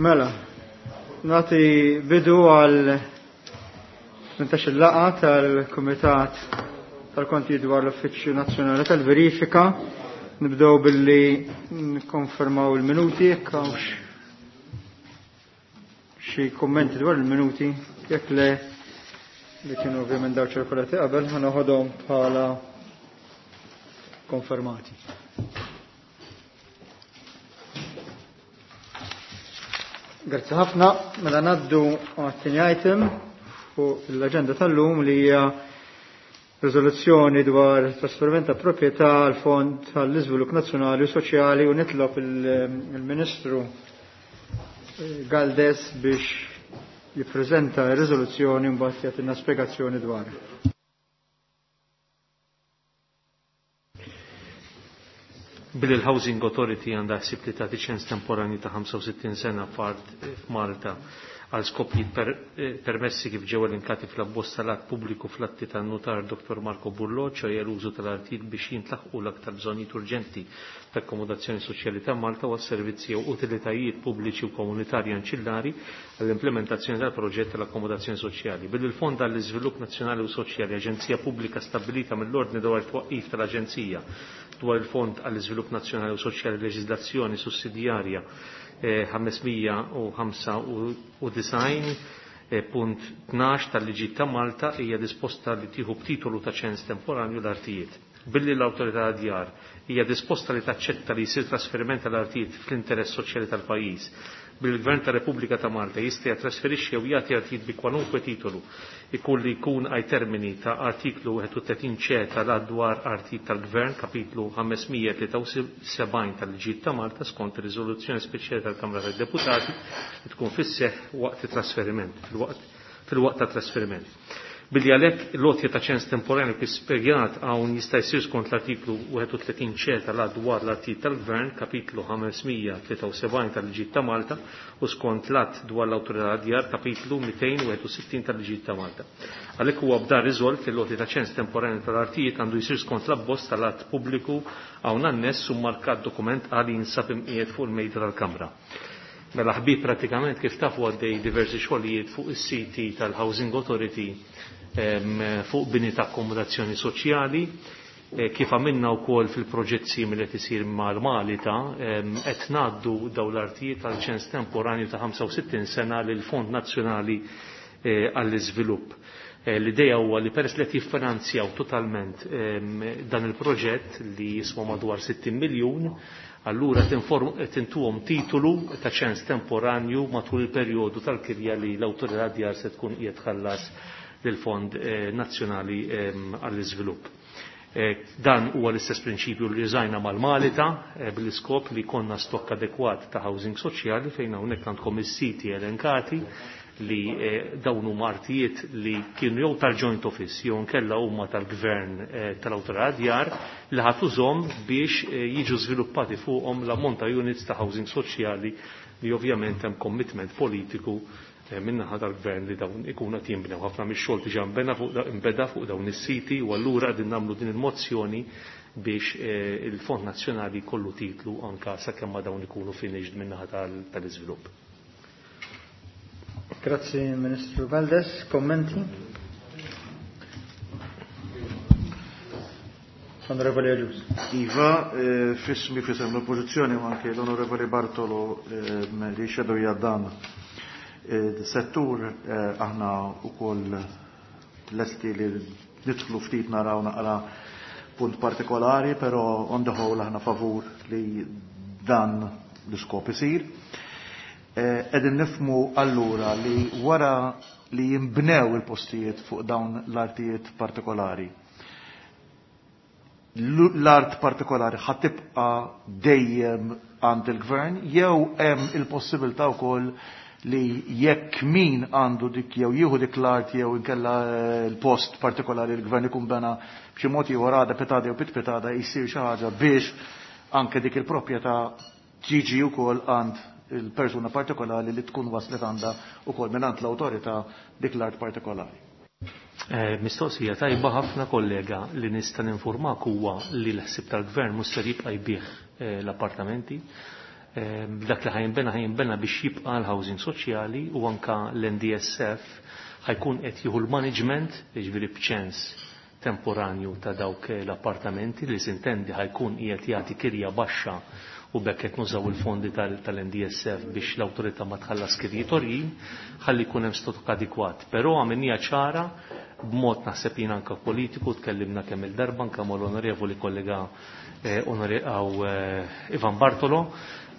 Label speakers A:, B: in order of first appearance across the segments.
A: Mela, nagħti bidu għal 18 laqgħa tal-Kumitat tal-Konti dwar l-Uffiċċju Nazzjonali tal-Verifika. Nibdew billi nikkonfermaw il-minuti jekk hawnx xi kummenti dwar il-minuti, jekk le li kienu ovvjament daw ċirkolati qabel, ħanoħodhom bħala konfermati. Grazzi ħafna, mela ngħaddu għat-tieni item fuq l-aġenda tal-lum li hija riżoluzzjoni dwar trasferiment ta' proprjetà għal Fond għall-Iżvilupp Nazzjonali u Soċjali u nitlob il-Ministru Galdes biex jippreżenta r-riżoluzzjoni u mbagħad jagħtina spjegazzjoni dwar.
B: Billi l-Housing Authority għandha ħsieb li tagħti ċens temporanju ta' 65 sena f'art f'Malta għal skopijiet permessi kif ġew elenkati fl-abbozz tal-att pubbliku fl-atti tan-nutar Dr. Marco Burlo, ċoħe l-użu tal-artijiet biex jintlaħqu l-aktar bżonnijiet urġenti ta' akkomodazzjoni soċjali ta' Malta u għas-servizzi jew utilitajiet pubbliċi u komunitarji anċillari għall-implementazzjoni tal-proġett tal-akkomodazzjoni soċjali. Billi l-Fond għall-Iżvilupp Nazzjonali u Soċjali, aġenzija pubblika stabbilita mill-Ordni dwar it-twaqqif tal-Aġenzija dwar il-Fond għall-Iżvilupp Nazzjonali u Soċjali Leġiżlazzjoni Sussidjarja 595.12 tal-Liġi ta' Malta hija disposta li tieħu b'titolu ta' ċens temporanju l-artijiet. Billi l-Awtorità djar hija disposta li taċċetta li jsir trasferiment tal-artijiet fl-interess soċjali tal-pajjiż. Billi l-Gvern ta' Repubblika ta' Malta jista' jattrasferixxi jew jagħti artijiet bi kwalunkwe titolu ikun li jkun għaj termini ta' artiklu 31 ċe tal-att dwar artijiet tal-Gvern, kapitlu 573 tal-Liġijiet ta' Malta skont ir-riżoluzzjoni speċjali tal-Kamra tad-Deputati li tkun fis-seħħ waqt it-trasferiment, fil-waqt ta' trasferiment. Billi għalhekk l-għotja ta' ċens temporanju kif spjegat hawn jista' jsir skont l-artiklu 31 ċe tal-att dwar l-artijiet tal-Gvern, kapitlu 573 tal-Liġijiet ta' Malta, u skont l-att dwar l-Awtorità djar, kapitlu 261 tal-Liġijiet ta' Malta. Għalhekk huwa b'dan riżolt li l-għotja ta' ċens temporanju tal-artijiet għandu jsir skont l-abbozz tal-att pubbliku hawn anness u markat dokument għal jinsab imqiegħed fuq il-mejda tal-Kamra. Mela ħbib pratikament kif tafu għaddej diversi xogħlijiet fuq is-siti tal-Housing Authority fuq bini ta' akkomodazzjoni soċjali, kif għamilna wkoll fil-proġett simili qed isir mal-Malita, qed ngħaddu dawn l-artijiet għal ċens temporanju ta' 65 sena lil Fond Nazzjonali għall-Iżvilupp. L-idea huwa li peress li qed jiffinanzjaw totalment dan il-proġett li jiswa madwar 60 miljun, allura tintuhom titolu ta' ċens temporanju matul il-perjodu tal-kirja li l-awtorità djar se tkun qiegħed tħallas lill-Fond Nazzjonali għall-Iżvilupp. Dan huwa l-istess prinċipju li użajna mal-Malita bil-iskop li konna stokk adekwat ta' housing soċjali fejn hawnhekk għandkom is-siti elenkati li dawn huma artijiet li kienu jew tal-joint office jew nkella huma tal-gvern tal-awtorità djar li ħadd użhom biex jiġu żviluppati fuqhom l-ammont ta' units ta' housing soċjali li ovvjament hemm commitment politiku min-naħa tal-gvern li dawn ikunu qed jinbnew. Ħafna mix-xogħol diġà nbeda fuq dawn is-siti u allura qegħdin nagħmlu din il-mozzjoni biex il-Fond Nazzjonali jkollu titlu anka sakemm ma dawn ikunu finished min-naħa tal-iżvilupp.
A: Grazzi Ministru Galdes, kommenti? Onorevoli Agius.
C: Iva, fismi fisem l-oppożizzjoni u anke l-Onorevoli Bartolo li xedu jaddan settur aħna wkoll lesti li nidħlu ftit naraw naqra punt partikolari, però on the whole aħna favur li dan l-iskop isir. Qegħdin nifhmu allura li wara li jinbnew il-postijiet fuq dawn l-artijiet partikolari, l-art partikolari ħatibqa dejjem għand il-gvern jew hemm il-possibilità wkoll li jekk min għandu dik jew jieħu dik l-art jew inkella l-post partikolari l-gvern ikun bena b'xi mod ieħor għada pitada jew pitpitada jsir xi ħaġa biex anke dik il-proprjetà tiġi wkoll għand il-persuna partikolari li tkun waslet għandha wkoll mingħand l-awtorità dik l-art partikolari.
B: Mistoqsija tajba ħafna kollega li nista' ninformak huwa li l-ħsieb tal-gvern mhux ser jibqa' jbigħ l-appartamenti. Dak li ħa jinbena biex jibqa' l-housing soċjali u anka l-NDSF ħa jkun qed jieħu l-management, jiġifieri b'ċens temporanju ta' dawk l-appartamenti li sintendi ħa jkun qiegħed jagħti kirja baxxa u b'hekk qed nużaw il-fondi tal-NDSF biex l-awtorità ma tħallas kirjiet għoljin ħalli jkun hemm stock adekwat. Però għamilniha ċara b'mod naħseb jien anka politiku, tkellimna kemm il-darba anka mal-onorevoli kollega Ivan Bartolo,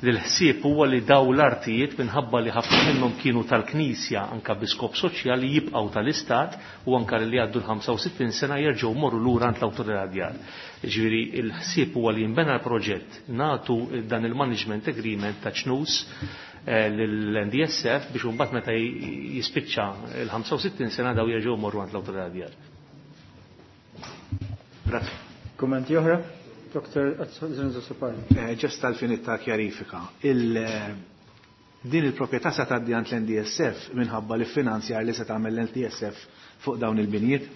B: li l-ħsieb huwa li daw l-artijiet, minħabba li ħafna minnhom kienu tal-Knisja anka bi skop soċjali, jibqgħu tal-Istat u anka li għaddu l-65 sena jerġgħu morru lura għand l-awtorità djar. Ġifieri l-ħsieb huwa li jinbena l-proġett, nagħtu dan il-management agreement ta' ċnus l-NDSF biex imbagħad meta jispiċċa il-65 sena daw jerġgħu morru għand l-awtorità djar.
C: Grazie.
A: Kummenti oħra? Dr. Zrinzo Azzopardi.
D: Just tal-finit ta' kjarifika. Din il-proprjetà se tgħaddi għand l-NDSF minħabba li finanzjar li se tagħmel l-NDSF fuq dawn il-binjiet?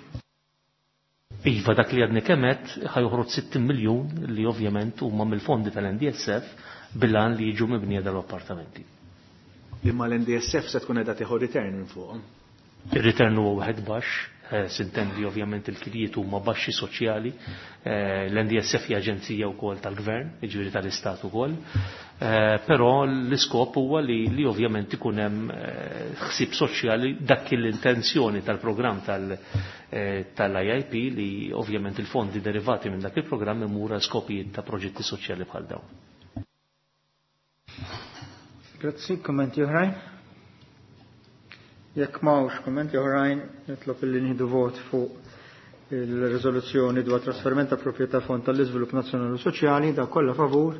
B: Iva, dak li għadni kemm għedt, ħa joħroġ 60 miljun li ovvjament huma mill-fondi tal-NDSF bil-għan li jiġu mibnija dal-appartamenti.
D: Imma l-NDSF se tkun qiegħda tieħu return minn fuqhom.
B: Ir-return huwa wieħed baxx, sintendi ovvjament il-kirjiet huma baxxi soċjali, l-NDSF hija aġenzija wkoll tal-gvern, jiġifieri tal-istat ukoll, però l-iskop huwa li ovvjament ikun hemm ħsieb soċjali, dak l-intenzjoni tal-programm tal-IIP li ovvjament il-fondi derivati minn dak il-programm imur għal skopijiet ta' proġetti soċjali bħal dawn.
A: Grazzi, kommenti oħrajn? Jekk m'hawnx kummenti oħrajn, nitlob illi nieħdu vot fuq il-riżoluzzjoni dwar trasferiment ta' proprjetà Fond tal-Iżvilupp Nazzjonali u Soċjali. Dawk kollha favur,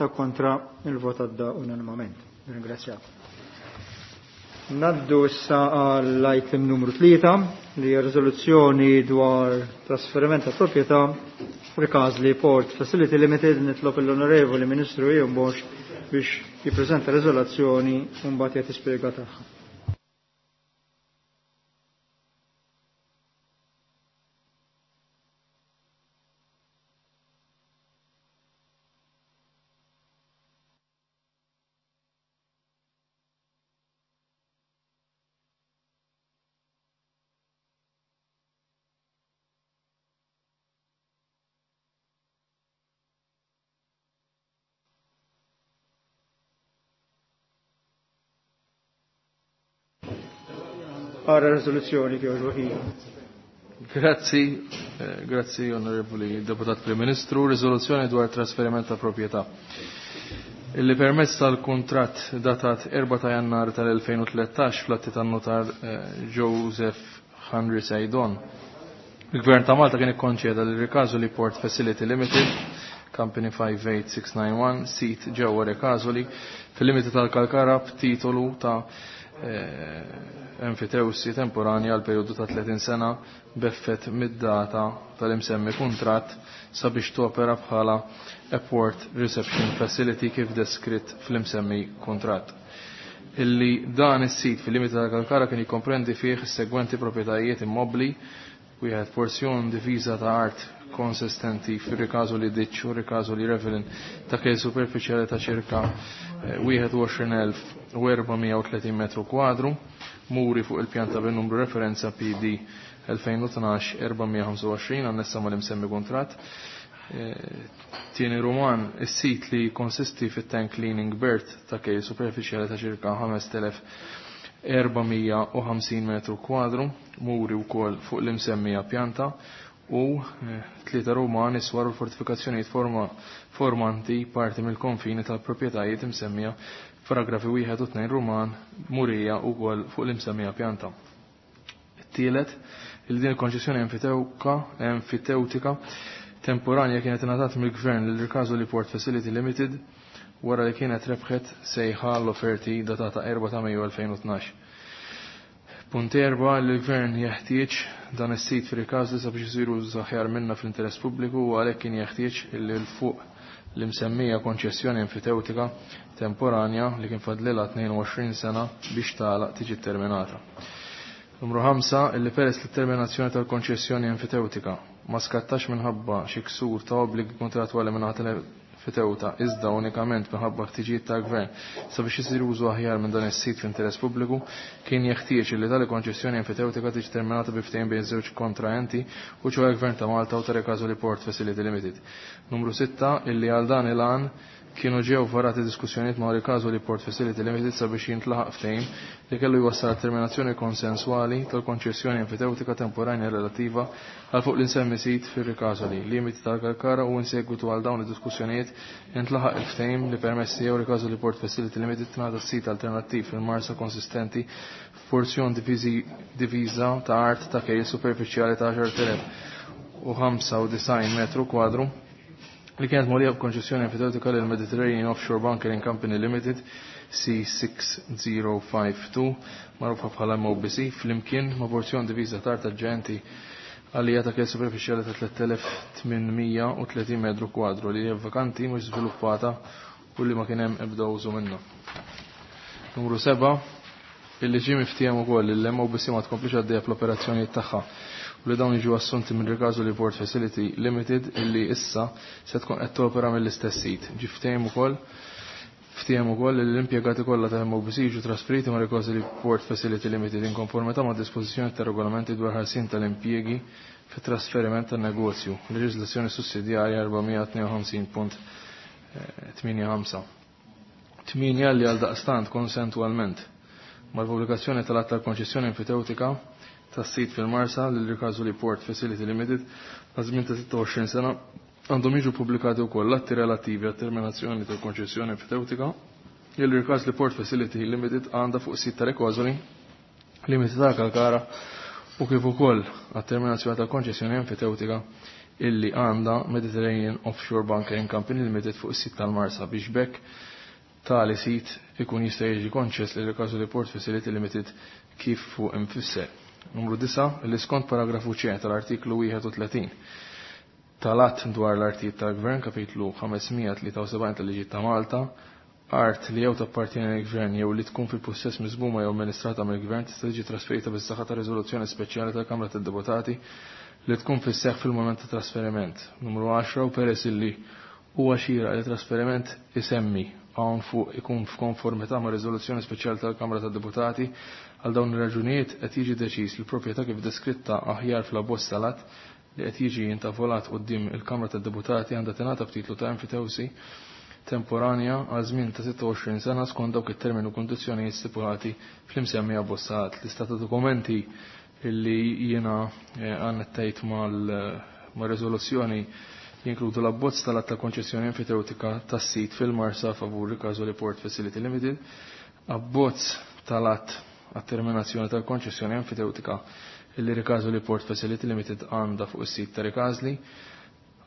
A: dawk kontra, il-vot għadda unanimament. Ringrazzjakom. Naddu issa għall-item numru 3 li hija riżoluzzjoni dwar trasferiment ta' proprjetà Ricasoli Port Facility Limited. Nitlob l-Onorevoli Ministru Ian Borg biex jippreżenta riżoluzzjoni u mbagħad jagħti spjega tagħha. Ara rezoluzzjoni kif.
E: Grazzi, grazzi, onorevoli Deputat Prim Ministru. Riżoluzzjoni dwar trasferiment ta' proprjetà. Illi permezz tal-kuntratt datat 4 ta' Jannar tal-2013 fl-atti tan-notar Joseph Henry Saidon. Il-Gvern ta' Malta kien ikkonċeda li Ricasoli Port Facility Limited, Company 58691, sit ġewwa Ricasoli, fil-limiti tal-Kalkara b'titolu ta' enfitewsi temporanja għal periodu ta' 30 sena b'effett mid-data tal-imsemmi kuntratt sabiex topera bħala Port Reception Facility kif deskritt fl-imsemmi kuntratt. Illi dan is-sit fil-limiti tal-Kalkara kien jikkomprendi fih is-segwenti proprjetajiet immobli: wieħed porzjon diviża ta' art konsistenti fir-Ricasoli Ditch u Ricasoli Ravine ta' kejl superfiċjali ta' ċirka 21,430 metru kwadru, muri fuq il-pjanta bin-numru referenza PD 2012-425 annessa mal-imsemmi kuntratt. Tieni Roman, is-sit li konsisti fit-tank cleaning berth ta' kejl superfiċjali ta' ċirka 5450 metru kwadru, muri wkoll fuq l-imsemmija pjanta u tlieta Roman, iswar u fortifikazzjonijiet formanti parti mill-konfini tal-proprjetajiet imsemmija paragrafi 1 u 2 Roman murija wkoll fuq l-imsemmija pjanta. Tielet, il din il-konċessjoni enfitewtika temporanja kienet ingħatat mill-Gvern lil Ricasoli Port Facility Limited wara li kienet rebħet sejħa l-offerti datata 4 ta' Mejju 2012. Punt 4, l-Gvern jeħtieġ dan is-sit fir-Ricasoli sabiex isiru aħjar minna fl-interess pubbliku u għalhekk kien jeħtieġ illi l fuq l-imsemmija konċessjoni enfitewtika temporanja li kien fadlilha 22 sena biex tagħlaq tiġi terminata. Numru 5, illi peress li terminazzjoni tal-konċessjoni enfitewtika ma skattax minħabba xi ksur ta' obbligi kontrattwali minn enfitewta iżda unikament minħabba ħtiġijiet tal-Gvern sabiex isir użu aħjar minn dan is-sit fl-interess pubbliku, kien jeħtieġ li tali konċessjoni enfitewtika tiġi terminata bi ftehim bejn żewġ kontraenti u ċoe Gvern ta' Malta u ta' Ricasoli Port Facility Limited. Numru 6 illi għal dan il-għan kienu ġew varati diskussjonijiet ma' Ricasoli Port Facility Limited sabiex jintlaħaq ftehim li kellu jwassal terminazzjoni konsenswali tal-konċessjoni enfitewtika temporanja relattiva għal fuq l-insemmi sit fir-Ricasoli, limiti tal-Kalkara u insegwitu għal dawn id-diskussjonijiet intlaħaq il-ftehim li permessi jew Ricasoli Port Facility Limited tingħata sit alternattiv fil-Marsa konsistenti f'porzjon diviża ta' art ta' kejl superfiċjali ta' 10,095 metru kwadru li kienet mogħlija b'konċessjoni enfitewtika lil Mediterranean Offshore Bunkering Company Limited C6052 magħrufa bħala MOBC flimkien ma' porzjon diviża ta' art aġġenti għalija ta' kejl superfiċjali ta' 3830 metru kwadru li hija vakanti mhux żviluppata u li ma kien hemm ebda użu minnha. Numru 7 illi ġie miftiehem ukoll li l-MOBC ma tkomplix għaddejja fl-operazzjonijiet tagħha u li dawn jiġu assunti minn Ricasoli Port Facility Limited illi issa se tkun qed topera mill-istess sit. Ġie ftehim ukoll ftiehem ukoll li l-impjegati kollha ta' MOBC jiġu trasferiti ma' Ricasoli Port Facility Limited in konformità ma' dispożizzjoni ta' regolamenti dwar ħarsien tal-impjiegi fit-trasferiment tan-negozju, leġiżlazzjoni sussidjarja 452.85. 8 li għal daqstant konsentualment mal-pubblikazzjoni tal-att tal-konċessjoni enfitewtika tas-sit fil-Marsa lil Ricasoli Port Facility Limited għal żmien ta' 26 sena għandhom jiġu pubblikati wkoll l-atti relattivi għat-terminazzjoni tal-konċessjoni enfitewtika lil Ricasoli Port Facility Limited għandha fuq sit ta' Ricasoli Limited ta' Kalkara u kif ukoll għat-terminazzjoni tal-konċessjoni enfitewtika illi għandha Mediterranean Offshore Bunkering Company Limited fuq is-sit tal-Marsa biex bekk tali sit ikun jista' jiġi konċess lil Ricasoli Port Facility Limited kif fuq imfisser. Numru 9 li skont paragrafu C tal-artiklu 31 tal-att dwar l-artijiet tal-Gvern kapitlu 573 tal-Liġi ta' Malta, art li jew tappartieni lill-Gvern jew li tkun fil-pussess miżmuma jew amministrata mill-Gvern tista' tiġi trasferita bis-saħħa ta' riżoluzzjoni speċjali tal-Kamra tad-Deputati li tkun fis-seħħ fil-mument ta' trasferiment. Numru 10 u peress illi huwa xieraq li trasferiment isemmi hawn fuq ikun f'konformità ma' riżoluzzjoni speċjali tal-Kamra tad-Deputati għal dawn ir-raġunijiet qed jiġi deċiż li l-proprjetà kif deskritta aħjar fl-abbozz tal-att li qed jiġi intavolat quddiem il-Kamra tad-Deputati għandha tingħata b'titlu ta' enfitewsi temporanja għal żmien ta' 26 sena skont dawk it-termini u kundizzjonijiet stipulati fl-imsemmi abbozz tal-att. Lista ta' dokumenti illi jiena għannettajt mal-riżoluzzjoni jinkludu l-abbozz tal-att ta' konċessjoni enfitewtika tas-sit fil-Marsa favur Ricasoli Port Facility Limited, abbozz tal-att għat-terminazzjoni tal-konċessjoni enfitewtika illi Ricasoli Port Facility Limited għandha fuq is-sit ta' Ricasoli,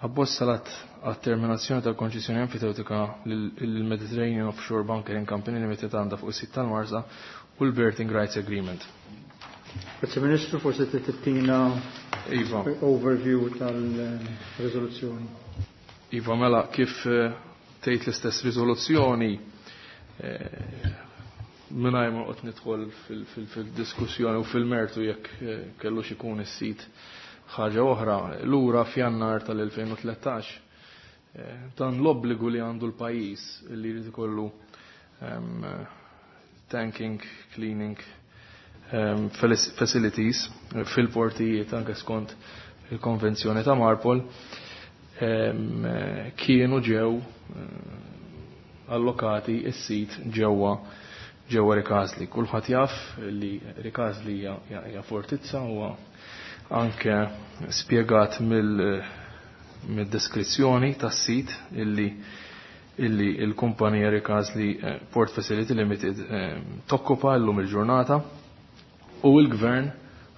E: abbozz tal-att għat-terminazzjoni tal-konċessjoni enfitewtika lill-Mediterranean Offshore Bunkering Company Limited għandha fuq is-sit tal-Marsa u l-Berthing Rights Agreement.
A: Grazie Ministru, forse tittina
E: Iva.
A: overview tal-riżoluzzjoni.
E: Iva, mela, kif tgħid l-istess riżoluzzjoni, mingħajr ma noqgħod nidħol fil-diskussjoni u fil-mertu jekk kellux ikun is-sit ħaġa oħra, lura f'Jannar tal-2013, dan l-obbligu li għandu l-pajjiż li jrid ikollu tanking, cleaning facilities fil-portijiet anke skont il-konvenzjoni ta' Marpol, kienu ġew allokati is-sit ġewwa ġewwa Ricasoli. Kulħadd jaf li Ricasoli hija fortizza huwa anke spjegat mid-deskrizzjoni tas-sit illi il-kumpanija Ricasoli Port Facility Limited tokkupa llum il-ġurnata u l-gvern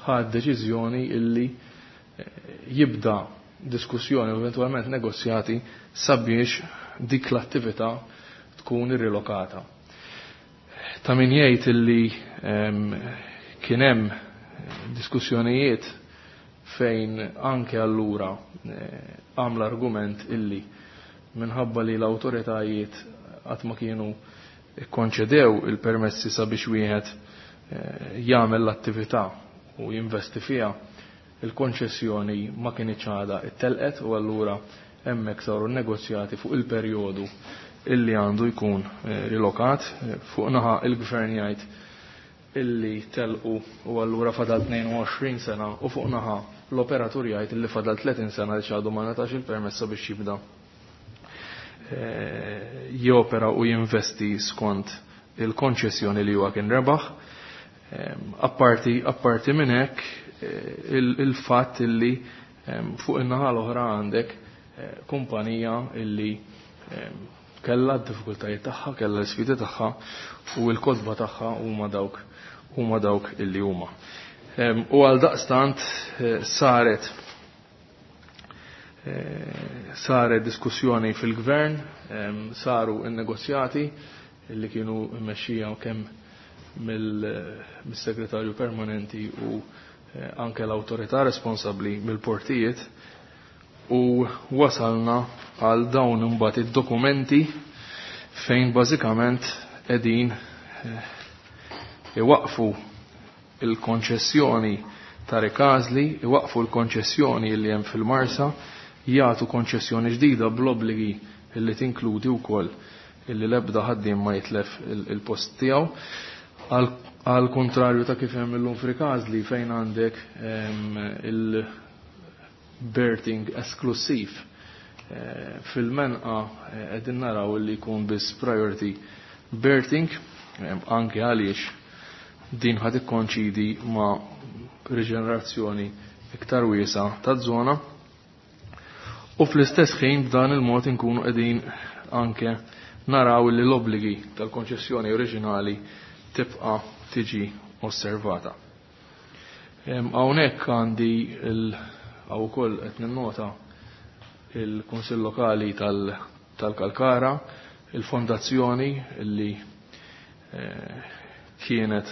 E: ħad deċiżjoni illi jibda diskussjoni u eventualment negozjati sabiex dik l-attività tkun irrilokata. Ta' min jgħid illi kien hemm diskussjonijiet fejn anke allura għamla argument illi minħabba li l-awtoritajiet qatt ma kienu ikkonċedew il-permessi sabiex wieħed jagħmel l-attività u jinvesti fiha, il-konċessjoni ma kienx għadha ittelqet u allura hemmhekk saru negozjati fuq il-perjodu illi għandu jkun rilokat. Fuq naħa il-gvern jgħid illi telqu u allura fadal 22 sena u fuq naħa l-operatur jgħid illi fadal 30 sena li ċadu ma natax il-permessa biex jibda jopera u jinvesti skont il-konċessjoni li huwa kien rebaħ. Apparti minn hekk il-fatt illi fuq in-naħa l-oħra għandek kumpanija illi kellha d-diffikultajiet tagħha, kellha l-isfidi tagħha u l-kotba tagħha huma dawk illi huma. U għal daqstant saret diskussjoni fil-gvern, saru n-negozjati illi kienu mmexxija kemm mill-segretarju permanenti u anke l-awtorità responsabbli mill-portijiet, u wasalna għal dawn imbagħad id-dokumenti fejn bażikament qegħdin iwaqfu il-konċessjoni ta' Rikażli, iwaqfu l-konċessjoni li hemm fil-Marsa, jagħtu konċessjoni ġdida bl-obbligi li tinkludi wkoll illi l-ebda ħaddiem ma jitlef il-post tiegħu. Għal kontrarju ta' kif hemm illum f'Rikażli fejn għandek il-berthing esklusiv fil-menqa qegħdin naraw li jkun biss priority berthing, anke għaliex din ħad ikkonċidi ma' riġenerazzjoni iktar wiesa taż-żona. U fl-istess ħin b'dan il-mod inkunu qegħdin anke naraw li l-obbligi tal-konċessjoni oriġinali tibqa' tiġi osservata. Hawnhekk għandi hawn ukoll qed ninnota il-Kunsill Lokali tal-Kalkara, il-fondazzjoni li kienet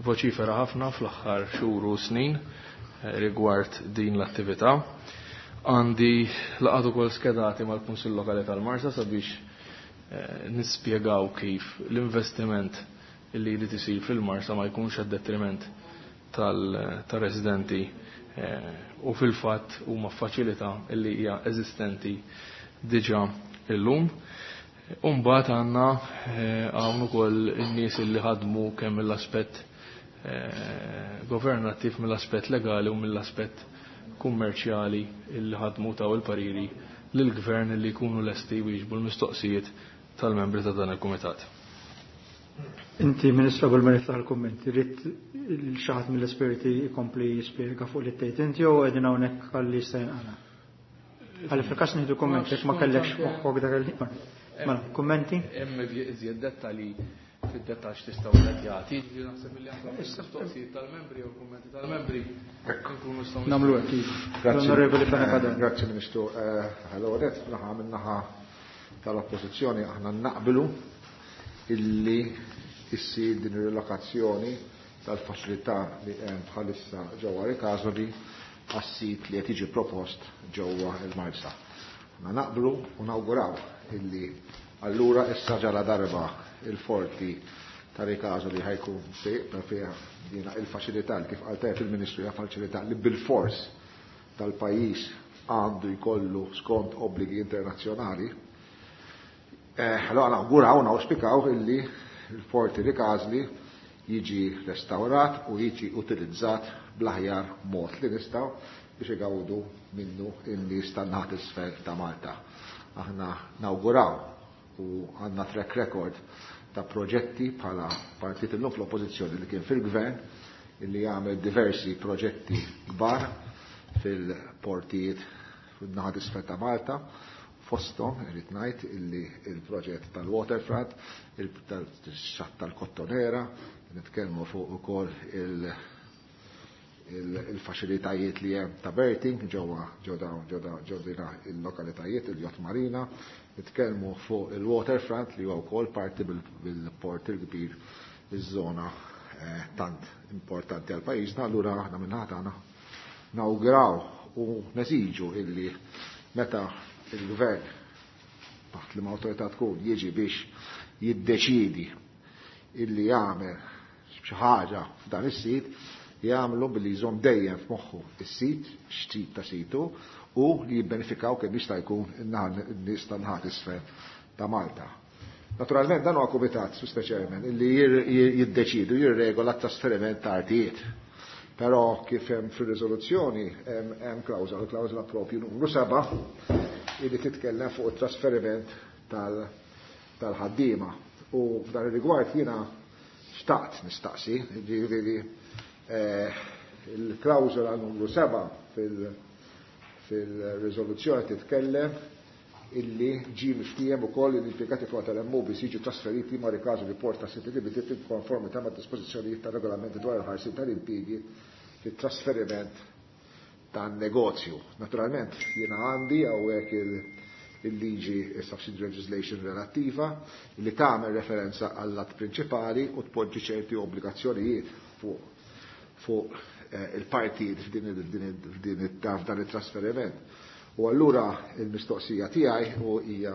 E: voċifera ħafna fl-aħħar xhur u snin rigward din l-attività. Għandi laqgħat ukoll skedati mal-Kunsill Lokali tal-Marsa sabiex nispjegaw kif l-investiment li jrid isir fil-Marsa ma jkunx għad-detriment tal-residenti u fil-fatt huma faċilità li hija eżistenti diġà illum. Umbagħad għandna hawn ukoll in-nies li ħadmu kemm mill-aspett governattiv, mill-aspett legali u mill-aspett kummerċjali illi ħadmu taw il-pariri lill-gvern li jkunu lesti wieġbu l-mistoqsijiet tal-membri ta' dan il-kumitat.
A: Inti, Ministru, qabel ma niftaħ il-kummenti, rrid xi ħadd mill-esperti jkompli jispjega fuq li tgħid inti jew qegħdin hawnhekk għalli jista' jinqala? Għalli fil-każ nieħdu kummenti, jekk ma kellekx moħħok dak il-ħin. Mela, kummenti?
E: Hemm iżjed dettalji fid-dettaġġ tistgħu qed jagħti. Ġifieri naħseb li anke mistoqsijiet tal-membri jew kummenti tal-membri nkunu nistgħu
A: nagħmlu hekk.
C: Grazzi.
A: L-Onorevoli Fenech.
C: Grazzi Ministru. Allora, naħa min-naħa tal-oppożizzjoni aħna naqblu illi issir din ir-relokazzjoni tal-faċilità li hemm bħalissa ġewwa Rikasoli għas-sit li qed jiġi propost ġewwa il-Marsa. Aħna naqblu u nawguraw illi allura issa ġala darba il-forti ta' Rikasoli ħajkun fiha dina il-faċilità li kif qal tajjeb il-Ministru hija faċilità li bil-fors tal-pajjiż għandu jkollu skont obbligi internazzjonali. Allora nawguraw, nawspikaw illi il-forti Rikasoli jiġi restaurat u jiġi utilizzat bl-aħjar mod li nistgħu biex igawdu minnu in-nies tan-naħa t'isfel ta' Malta. Aħna nawguraw u għandna track record ta' proġetti bħala partit illum fl-oppożizzjoni li kien fil-gvern illi jagħmel diversi proġetti kbar fil-portijiet fin-naħa t'isfel ta' Malta. Fosthom irid ngħid illi il-proġett tal-waterfront, tal-xatt tal-Kottonera, nitkellmu fuq ukoll il-faċilitajiet li hemm ta' berthing ġewwa ġew dina il-lokalitajiet, il-Yacht Marina, nitkellmu fuq il-waterfront li huwa wkoll parti bil-port il-kbir iż-żona tant importanti għal pajjiżna, allura aħna minn ħadd tagħna nawguraw u neżiġu illi meta il-gvern taħt li ma' tkun jiġi biex jiddeċidi illi jagħmel xi ħaġa f'dan is-sit,
F: Jagħmlu billi jżomm dejjem f'moħħu is-sit, x'tip ta' situ, u li jibbenefikaw kemm jista' jkun in-nies tan-naħat isfel ta' Malta. Naturalment dan huwa kumitat, Mr. Chairman, illi jiddeċidu jirregola t-trasferiment ta' artijiet. Però kif hemm fir-riżoluzzjoni hemm klawżola, klawżola propju numru 7 illi titkellem fuq it-trasferiment tal-ħaddiema. U f'dan ir-rigward jiena xtaqt nistaqsi, ġifieri il-klawżola numru 7 fil-riżoluzzjoni titkellem illi ġie miftiehem ukoll li l-impjegati kollha tal-MOBIS jiġu trasferiti ma' rikażu li Port ta' City Limited in konformità mad dispożizzjonijiet tar-regolamenti dwar il-ħarsien tal-impjiegi fit-trasferiment tan-negozju. Naturalment jiena għandi hawnhekk il-liġi subsidiary legislation relattiva li tagħmel referenza għall-att prinċipali u tpoġġi ċerti obbligazzjonijiet fuq il-partijiet f'dan it-trasferiment. U allura il-mistoqsija tiegħi u hija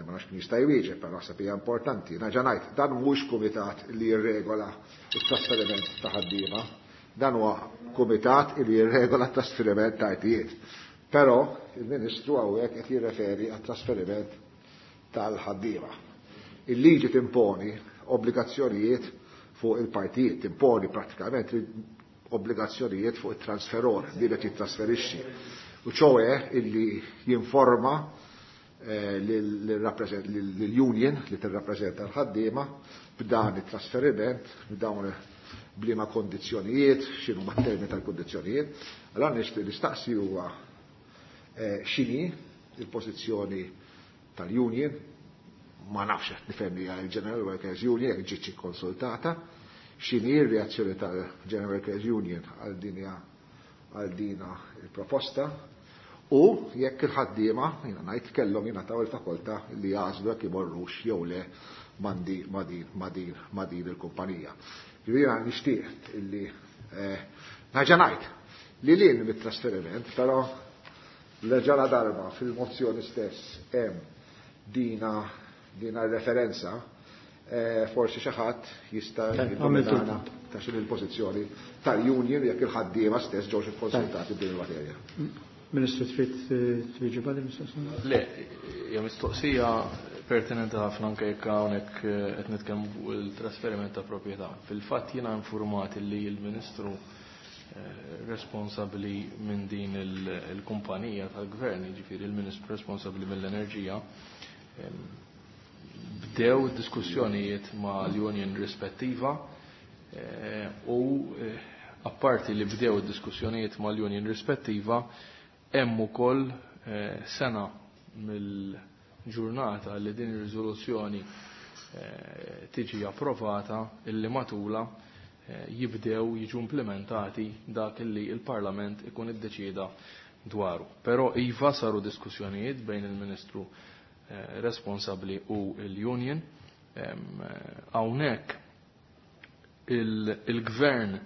F: ma nafx min jista' jwieġeb, però naħseb hija importanti. Nerġa' ngħid, dan mhux kumitat li jirregola t-trasferiment ta' ħaddiema, dan huwa kumitat li jirregola t-trasferiment ta' artijiet. Però il-Ministru hawnhekk qed jirreferi għat-trasferiment tal-ħaddiema. Il-liġi timponi obbligazzjonijiet fuq il-partijiet, timponi pratikament obbligazzjonijiet fuq it-transferor li qed jittrasferixxi. U ċoe illi jinforma lill-union li tirrappreżenta l-ħaddiema b'dan it-trasferiment, b'dawn bliema kondizzjonijiet, x'inhu ma termini tal-kondizzjonijiet. Allora nixtieq nistaqsi huwa x'inhi il-pożizzjoni tal-union, ma nafx qed nifhem li il-General Workers Union jekk ġietx ikkonsultata, x'inhi r-reazzjoni tal-General Workers Union għal dina il-proposta u jekk il-ħaddiema jiena ngħid kellhom jingħataw il-fakoltà li jagħżlu jekk imorrux jew le ma' din il-kumpanija. Jiena nixtieq illi nerġa' ngħid li lil mit-trasferiment, però l-ġala darba fil-mozzjoni stess hemm dina referenza, forsi xi ħadd jista' jiddominana ta' x'inhi l-pożizzjoni tal-union jekk il-ħaddiema stess ġewx ikkonsultati b'din il-materja.
A: Ministru, trid twieġeb għal mistoqsija?
E: Le, hija mistoqsija pertinenti ħafna anke jekk hawnhekk qed nitkellmu fuq il-trasferiment ta' proprjetà. Fil-fatt jiena informat li l-Ministru responsabbli minn din il-kumpanija tal-gvern, jiġifieri il-Ministru responsabbli mill-enerġija, bdew diskussjonijiet ma' l-union rispettiva u apparti li bdew diskussjonijiet ma' l-union rispettiva hemm ukoll sena mill-ġurnata li din ir-riżoluzzjoni tiġi approvata illi matula jibdew jiġu implementati dak li il-Parlament ikun iddeċieda dwaru. Però iva saru diskussjonijiet bejn il-Ministru responsabbli u l-Union. Hawnhekk il-Gvern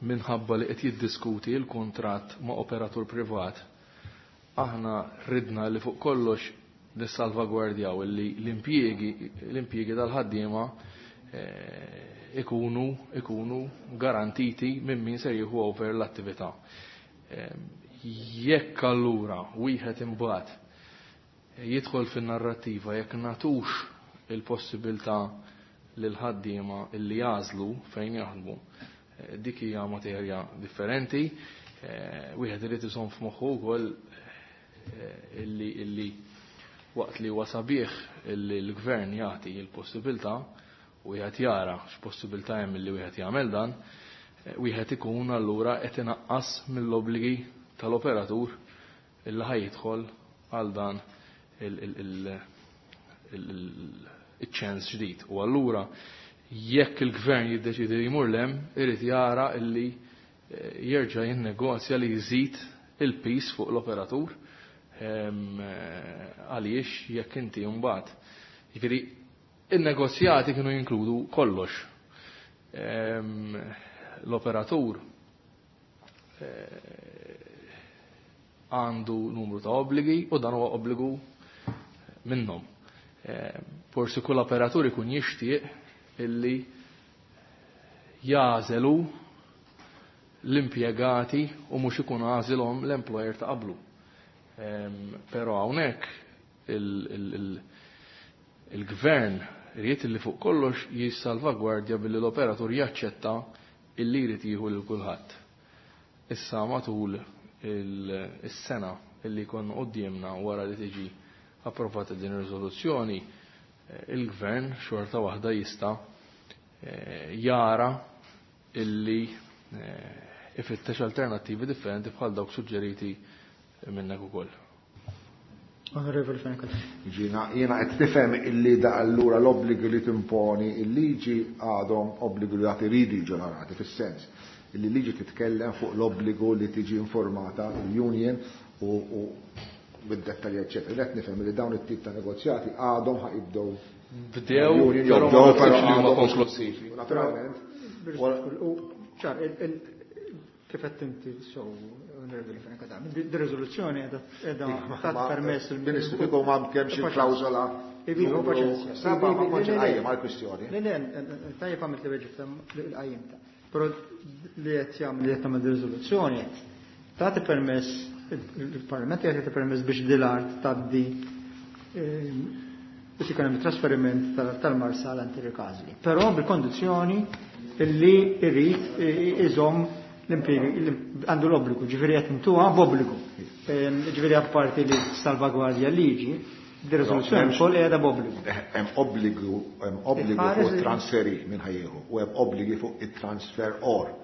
E: minħabba li qed jiddiskuti l-kuntratt ma' operatur privat, aħna ridna li fuq kollox nissalvagwardjaw li l-impjiegi tal-ħaddiema ikunu garantiti minn min ser jieħu over l-attività. Jekk allura wieħed imbagħad jidħol fin-narrattiva jekk natux il-possibilità lil ħaddiema illi jażlu fejn jaħdmu, dik hija materja differenti. Wieħed irid iżomm f'moħħu wkoll illi waqt li huwa sabiħ illi l-gvern jagħti l-possibilità u wieħed jara x'possibilità hemm illi wieħed jagħmel dan, wieħed ikun allura qed inaqqas mill-obbligi tal-operatur illi ħajjidħol għal dan il-ċens ġdid. U allura jekk il-gvern jiddeċidi li jmur lem, irid jara illi jerġa' jinnegozja li jżid il-pis fuq l-operatur għaliex jekk inti mbagħad. Jiġifieri in-negozjati kienu jinkludu kollox. L-operatur għandu numru ta' obbligi u dan huwa obbligu minnhom. Forsi kull operatur ikun jixtieq illi jażelu l-impjegati u mhux ikun għażilhom l-employer ta' qablu. Però hawnhekk il-gvern irid li fuq kollox jissalvagwardja billi l-operatur jaċċetta illi jrid jieħu lil kulħadd. Issa matul is-sena illi jkollna quddiemna wara li tiġi approvata din ir-riżoluzzjoni, il-gvern xorta waħda jista' jara illi ifittex alternattivi differenti bħal dawk suġġeriti minnek ukoll.
A: Onorevoli Fenech.
F: Ġina, jiena qed tifhem illi da allura l-obbligi li timponi il-liġi għadhom obbligi li għad iridu jiġu onorati fis-sens illi liġi titkellem fuq l-obbligu li tiġi informata l-union u bid-dettalji eċċetera. Qed nifhem li dawn it-tip ta' negozjati għadhom ħa jibdew
E: Bdew,
F: l-union
E: però
F: jew
E: ma
F: bdew, però
E: naħsibx li huma
F: għadhom-
E: konklusivi.
F: Naturalment.
A: U ċar, kif qed inti so, Onorevoli Fenech Adami, di riżoluzzjoni qiegħda tat permess
F: il-Ministru kieku ma kemm xi klawżola.
A: Ivi,
F: numru
A: paċenzja.
F: Seba' ma
A: Ivi,
F: kontx
A: le, le, le.
F: inqajjem għall-kwistjoni.
A: Le, le, tajjeb għamilt li weġib l-qajjim ta'. Però li qed jagħmel li qed tagħmel riżoluzzjoni tagħti permess il-Parlament jagħti permess biex dil-art tgħaddi biex ikun hemm trasferiment tal-Marsa għal Ricasoli. Però bil-kondizzjoni illi jrid iżomm l-impjiegi għandu l-obbligu, ġifieri qed intuha b'obbligu. Ġifieri apparti li salvagwardja liġi, di riżoluzzjoni wkoll qiegħda b'obbligu.
F: Hemm obbligu, hemm obbligu
A: Iħares
F: fuq
A: li-
F: transferi minn ħajjeħu u hemm obbligi fuq it-transfer or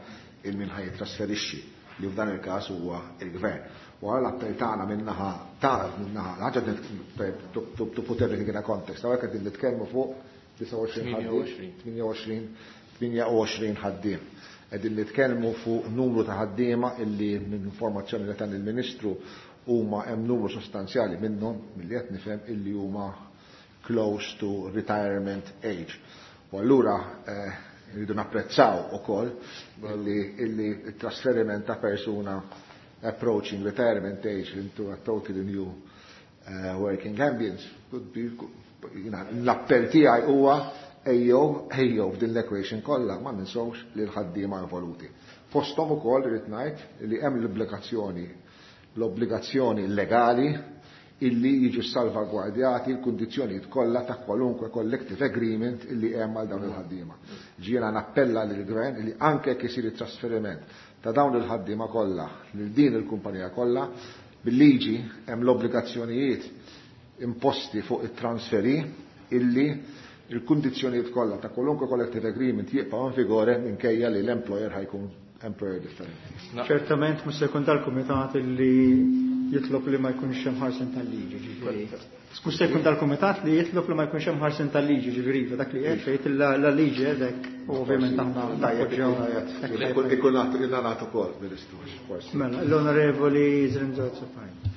F: il min ħaj trasferixxi li f'dan il-każ huwa il-gvern. U għal l-appell tagħna minnaħa tagħna minnaħa ħaġa to put everything in a context. Hawnhekk qegħdin nitkellmu fuq 29 ħaddiem, 28 ħaddiem. Qegħdin nitkellmu fuq numru ta' ħaddiema illi minn informazzjoni li tan il-Ministru huma hemm numru sostanzjali minnhom milli qed nifhem illi huma close to retirement age. U allura rridu napprezzaw ukoll illi il-trasferiment ta' persuna approaching retirement age into a totally new working ambience could be, l-appell tiegħi huwa ejjew ejjew f'din l-equation kollha ma ninsewx li l-ħaddiema involuti. Fosthom ukoll irid ngħid li hemm l-obbligazzjoni legali illi jiġu salvagwardjati l-kundizzjonijiet kollha ta' kwalunkwe collective agreement illi hemm għal dawn il-ħaddiema. Ġiena nappella lill-gvern illi anke jekk isir it-trasferiment ta' dawn il-ħaddiema kollha lil din il-kumpanija kollha, bil-liġi hemm l-obbligazzjonijiet imposti fuq it-transferi illi il-kundizzjonijiet kollha ta' kwalunkwe collective agreement jibqgħu in vigore minkejja li l-employer ħajkun employer differenti.
A: Ċertament mhux se jkun dal-kumitat illi jitlob li ma jkunx hemm ħarsin tal-liġi, ġifieri. Mhux se jkun dal-kumitat li jitlob li ma jkunx hemm ħarsin tal-liġi, ġifieri, dak li qed tgħid la liġi hekk u ovvjament aħna nappoġġjaw.
F: Ikun nagħtu ukoll, Ministru, forsi.
A: Mela, l-Onorevoli Zrinzo Azzopardi.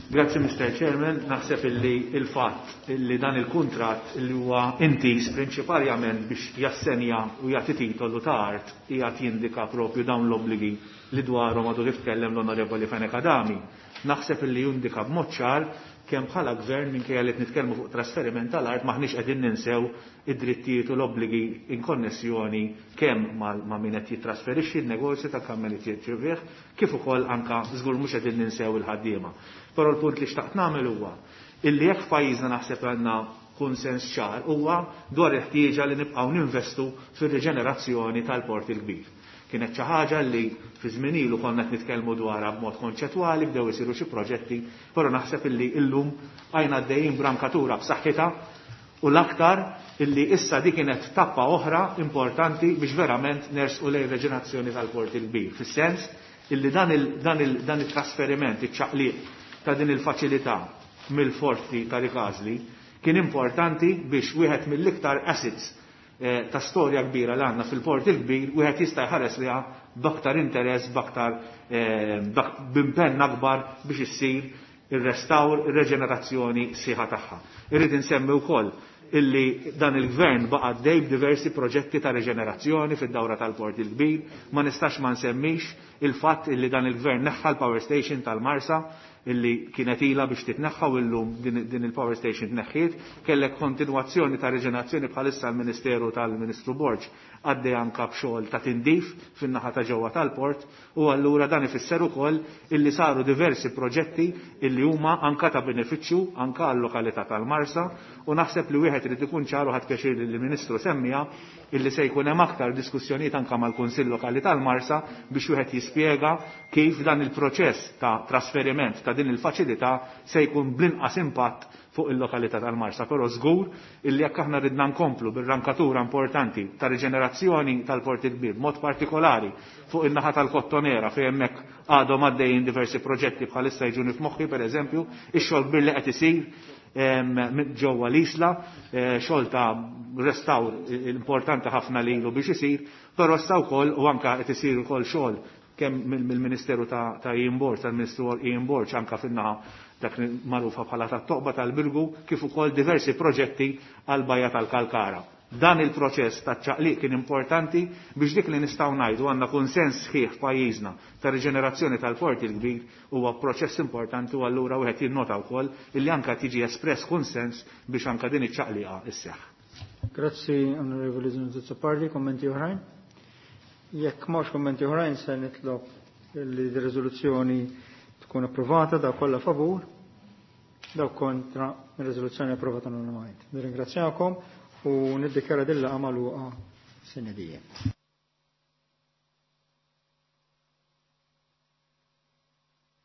B: Grazzi, Mr. Chairman. Naħseb illi il-fatt illi dan il-kuntratt illi huwa intiż prinċipalment biex jassenja u jagħti titolu ta' art qiegħed jindika propju dawn l-obbligi li dwarhom għadu kif tkellem l-Onorevoli Fenech Adami. Naħseb illi jindika b'mod ċar kemm bħala gvern minkejja li qed nitkellmu fuq trasferiment tal-art maħniex qegħdin ninsew id-drittijiet u l-obbligi in konnessjoni kemm ma' min qed jittrasferixxi n-negozju ta' kemm qed jirċevih, kif ukoll anka żgur mhux qegħdin ninsew il-ħaddiema. Però l-punt li xtaqt nagħmel huwa illi jekk f'pajjiżna naħseb għandna kunsens ċar huwa dwar il-ħtieġa li nibqgħu ninvestu fir-riġenerazzjoni tal-Port il-Kbir. Kienet xi ħaġa li fi żmien ilu konna qed nitkellmu dwarha b'mod konċettwali, bdew isiru xi proġetti, però naħseb illi llum għajna għaddejjin b'rankatura b'saħħitha u l-aktar illi issa di kienet tappa oħra importanti biex verament nersqu lejn reġenerazzjoni tal-Port il-Kbir. Fis-sens illi dan it-trasferiment, iċ-ċaqliq ta' din il-faċilità mill-forti ta' Ricasoli kien importanti biex wieħed mill-iktar assets ta' storja kbira li għandna fil-Port il-Kbir, wieħed jista' jħares liha b'aktar interess, b'impenn akbar biex issir ir-restawr, ir-reġenerazzjoni sieħa tagħha. Irrid insemmi wkoll
D: illi dan il-gvern baqa' għaddej b'diversi proġetti ta' reġenerazzjoni fid-dawra tal-Port il-Kbir, ma nistax ma nsemmix il-fatt illi dan il-gvern neħħa l-power station tal-Marsa illi kienet ilha biex titneħħa u llum din il-power station tneħħiet, kellek kontinwazzjoni ta' reġenerazzjoni bħalissa l-Ministeru tal-Ministru Borg għaddej anka b'xogħol ta' tindif fin-naħa ta' ġewwa tal-port u allura dan ifisser ukoll illi saru diversi proġetti illi huma anka ta' benefiċċju anka għal-lokalità tal-Marsa u naħseb li wieħed irid ikun ċar u ħadd pjaċir li l-Ministru semmija illi se jkun hemm aktar diskussjonijiet anka mal-Kunsill Lokali tal-Marsa biex wieħed jispjega kif dan il-proċess ta' trasferiment ta' din il-faċilità se jkun bl-inqas impatt fuq il-lokalità tal-Marsa. Però żgur illi jekk aħna ridna nkomplu bir-rankatura importanti ta' riġenerazzjoni tal-Port il-Kbir, b'mod partikolari fuq in-naħa tal-Kottonera fejn hemmhekk għadhom għaddejjin diversi proġetti bħalissa jiġuni f'moħħi pereżempju, ix-xogħol kbir li qed isir ġewwa l-Isla, xogħol ta' restawr importanti ħafna lilu biex isir, però issa wkoll u anke qed isir ukoll xogħol kemm mill-Ministeru ta' Ian Borg, tal-Ministru Ian Borg anke fin-naħa dak li magħrufa bħala tat-toqba tal-Birgu, kif ukoll diversi proġetti għall-Bajja tal-Kalkara. Dan il-proċess ta' ċaqliq kien importanti biex dik li nistgħu ngħidu għandna kunsens sħiħ f'pajjiżna ta' riġenerazzjoni tal-Port il-Kbir huwa proċess importanti u allura wieħed jinnota wkoll illi anke tiġi espress kunsens biex anke din iċ-ċaqliqa isseħħ.
A: Grazzi Onorevoli Azzopardi, kommenti oħrajn? Jekk m'hawnx kommenti oħrajn se nitlob li r-riżoluzzjoni tkun approvata, daw kollha favur, daw kontra, ir-riżoluzzjoni approvata unanimament. Nirringrazzjakom u niddikjara din il-laqgħa magħluqa sine die.